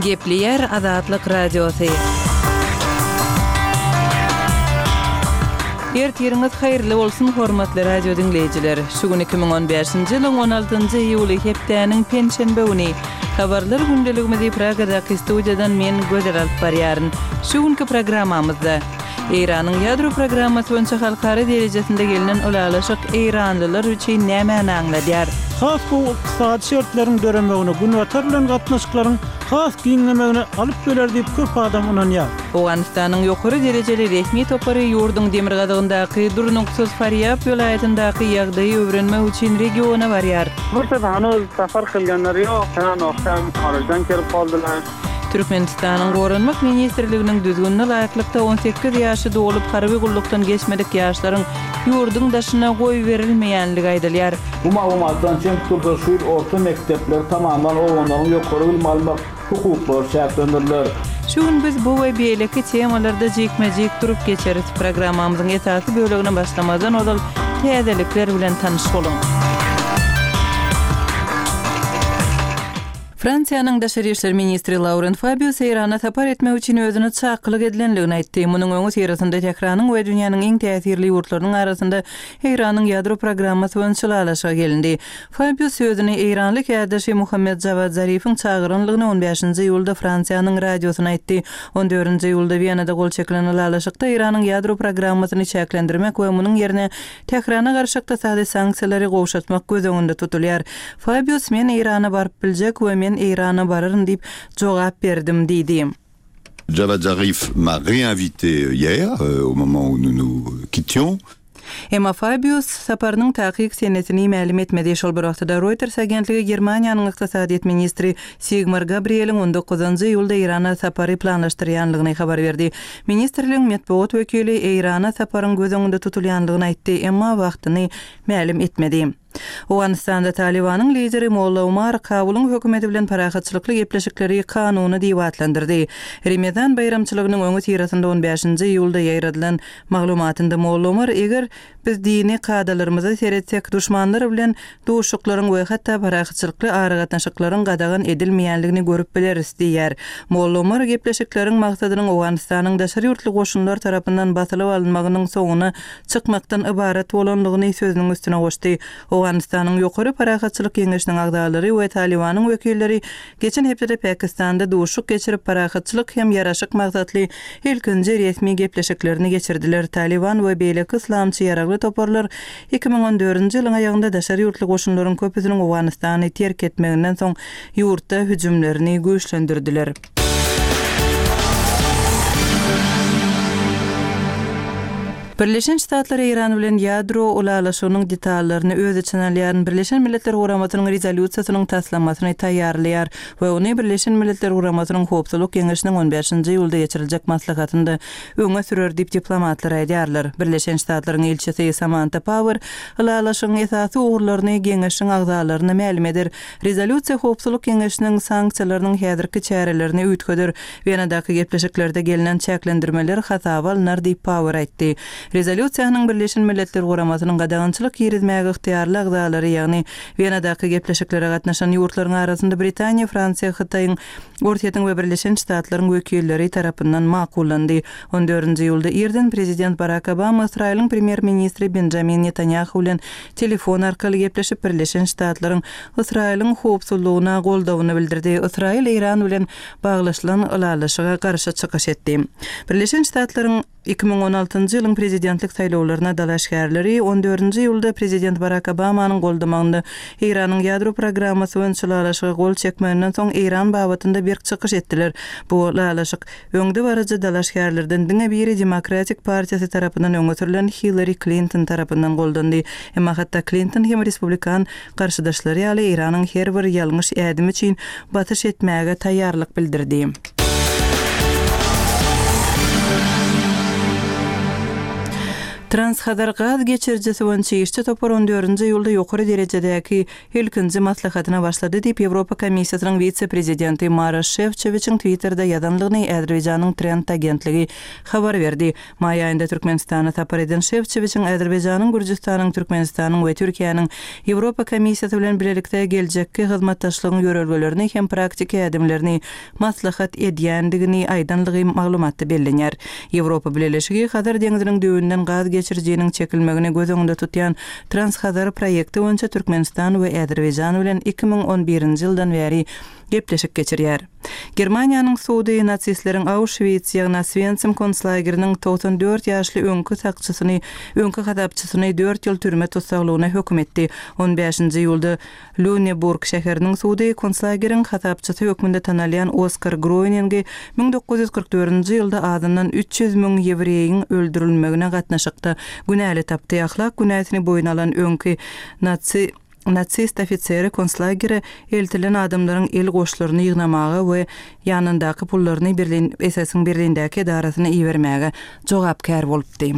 Gepleýär Azatlyk Radiosy. Ertiriňiz haýyrly bolsun, hormatly radio diňleýjiler! Şu gün 2015-nji ýylyň 16-njy iýuly, hepdäniň penşenbe güni. Habarlar gündeligimizi Pragadaky studiýadan men, Gözel alyp barýaryn. Şu günki programmamyzda. Eýranyň ýadro programmasy boýunça halkara derejesinde gelnen ylalaşyk eýranlylar üçin nämäni aňladýar? Has gowy ykdysady şertleriň döremegine, Günbatar bilen gatnaşyklaryň has giňemegine alyp geler diýip köp adam ynanýar. Owganystanyň ýokary derejeli resmi topary ýurduň demirgazygyndaky durnuksyz Farýab welaýatyndaky ýagdaýy öwrenmek üçin regiona barýar. Bursada hanuz sapar kylganlary ýok, Hem hariçden kelip galdylar. Türkmenistanyň Goranmak ministrliginiň düzgünine laýyklykda, 18 ýaşy dolup, harby gullukdan geçmedik ýaşlaryň ýurduň daşyna goýberilmeýänligi aýdylýar. Bu maglumatdan çen tutulsa, şu ýyl orta mekdepleri tamamlan oglanlaryň ýokary bilim almak hukuklary çäklendiriler. Şu gün biz bu we beýleki temalarda jikme-jik durup geçeris. Programmamyzyň esasy bölegine başlamazdan ozal täzelikler bilen tanyş boluň. Fransiýanyň daşary işler ministri Lauren Fabius Eýrana sapar etmek üçin özüne çakylyk edilendigini aýtdy. Munuň öňüsyrasynda Tähranyň we dünýäniň iň täsirli ýurtlarynyň arasynda Eýranyň ýadro programmasy boýunça ylalaşyga gelindi. Fabius özüni eýranly kärdeşi Muhammed Jawad Zarifiň çagyranlygyny on bäşinji iýulda Fransiýanyň radiosyna aýtdy. On dördünji iýulda Wenada gol çekilen ylalaşykda Eýranyň ýadro programmasyny çäklendirmek we munuň ýerine Tährana garşy ykdysady sanksiýalary gowşatmak göz öňünde tutulýar. Fabius Men Eýrana baryp biljek we men Eýrana bararyn diýip jogap berdim diýdi. Javad Zarif m'a réinvité hier, au moment où nous nous quittions. Emma Fabius saparynyň takyk senesini mälim etmedi. Şol bir wagtda-da Reuters agentligi Germaniýanyň ykdysadyýet ministri Sigmar Gabrieliň on dokuzynjy iýulda Eýrana sapary planlaşdyrýanlygyny habar berdi. Ministrligiň metbugat wekili Eýrana saparyň göz öňünde tutulýandygyny aýtdy, emma wagtyny mälim etmedi. Owganystanda Talybanyň lideri Molla Omar Kabulyň hökümeti bilen parahatçylykly gepleşikleri kanuny diýip atlandyrdy. Remezan baýramçylygynyň öňüsyrasynda on bäşinji iýulda ýaýradylan maglumatynda Molla Omar eger Biz dini kadalarymyza seretsek, duşmanlar bilen duşuşyklaryň we hatda parahatçylykly aragatnaşyklaryň gadagan edilmeýänligini görüp bileris diýýär. Molla Omar gepleşikleriň maksadynyň Owganystanyň daşary ýurtly goşunlar tarapyndan basylyp alynmagynyň soňuna çykmakdan ybarat bolanlygyny sözüniň üstüne goşdy. Owganystanyň Ýokary parahatçylyk geňeşiniň agzalary we Talybanyň wekilleri Geçen hepdede Pakistanda duşuşyk geçirip, parahatçylyk hem ýaraşyk maksatly ilkinji resmi gepleşiklerini geçirdiler. Talyban we beýleki yslamçy ýaragly toparlar 2014-nji ýylyň aýagynda daşary ýurtly goşunlaryň köpüsiniň Owganystany terk etmeginden soň ýurtda hüjümlerini güýçlendirdiler. Birleşen Ştatlar Eýran bilen ýadro ylalaşygynyň detallaryny öz içine alýan Birleşen Milletler Guramasynyň Rezolýusiýasynyň taslamasyny taýýarlaýar we ony Birleşen Milletler Guramasynyň Howpsuzlyk Geňeşiniň on bäşinji iýulda geçiriljek maslahatynda öňe sürer diýip diplomatlar aýdýarlar. Birleşen Ştatlaryň ilçisi Samanta Power ylalaşygyň esasy ugurlaryny Geňeşiň agzalaryna mälim eder. Rezolýusiýa Howpsuzlyk Geňeşiniň sanksiýalarynyň häzirki çärelerini üýtgeder. Wenadaky gepleşiklerde gelnen çäklendirmeler hasaba alnar diýip Power aýtdy. Rezolýusiýanyň Birleşen Milletler Guramasynyň gadagançylyk girizmäge ygtyýarly agzalary, ýagny Wenadaky gepleşiklere gatnaşan ýurtlaryň arasynda Britaniýa, Fransiýa, Hytaýyň, Orsýetiň we Birleşen Ştatlaryň wekilleri tarapyndan makullandy. On dördünji iýulda irden prezident Barak Obama Ysraýylyň premýer-ministri Benjamin Netanýahu bilen telefon arkaly gepleşip, Birleşen Ştatlaryň Ysraýylyň howpsuzlygyna goldawyny bildirdi. Ysraýyl Eýran bilen baglaşylan ylalaşyga garşy çykyş etdi. Birleşen Ştatlaryň 2016-njy ýylyň prezidentlik saýlawlaryna dalaşgärleri on dördünji iýulda prezident Barak Obamanyň goldamagynda Eýranyň ýadro programmasy boýunça ylalaşyga gol çekmeginden soň Eýran babatynda berk çykyş etdiler. Bu ylalaşyk Öňdebaryjy dalaşgärlerden diňe biri Demokratik partiýasy tarapyndan öňe sürlen Hillari Klinton tarapyndan goldandy. Emma hatda Klinton hem respublikan garşydaşlary ýaly Eýranyň her bir ýalňyş ädimi üçin basyş etmäge taýýarlyk bildirdi. Transhazar gaz geçirijisi boýunça işçi topar on dördünji iýulda ýokary derejedäki ilkinji maslahatyna başlady diýip, Ýewropa Komissiýasynyň wise-prezidenti Maroş Şefçowiçiň Twitterde ýazandygyny Azerbaýjanyň Trend agentligi habar berdi. Maý aýynda Türkmenistana sapar eden Şefçowiçiň Azerbaýjanyň, Gürjüstanyň, Türkmenistanyň we Türkiýäniň Ýewropa Komissiýasy bilen bilelikde geljekki hyzmatdaşlygyň ýörelgelerini hem praktiki ädimlerini maslahat edýändigini aýdanlygy maglumatda bellenýär. Ýewropa Bileleşigi Hazar deňziniň düýbünden gaz geçirijiniň çekilmegini göz öňünde tutýan Transhazar proýekti boýunça Türkmenistan we Azerbaýjan bilen 2011-nji ýyldan bäri gepleşik geçirýär. Germaniýanyň sudy nasistleriň Auşwits, ýagny Oswensim konslageriniň 94 ýaşly öňki sakçysyny öňki hasapçysyny dört ýyl türme tussaglygyna höküm etdi. On bäşinji iýulda Lýuneburg şäheriniň sudy konslageriň hasapçysy hökmünde tanalýan Oskar Groýningi 1944-nji ýylda azyndan 300 müň ýewreýiň öldürilmegine gatnaşykda günäli tapdy. Ahlak günäsini boýun alan öňki natsi nasist ofiseri konslagere eltilen adamlaryň el goşlaryny ýygnamaga we ýanyndaky pullaryny Berlin SS-iň Berlindäki edarasyna ibermäge jogapkär bolupdy.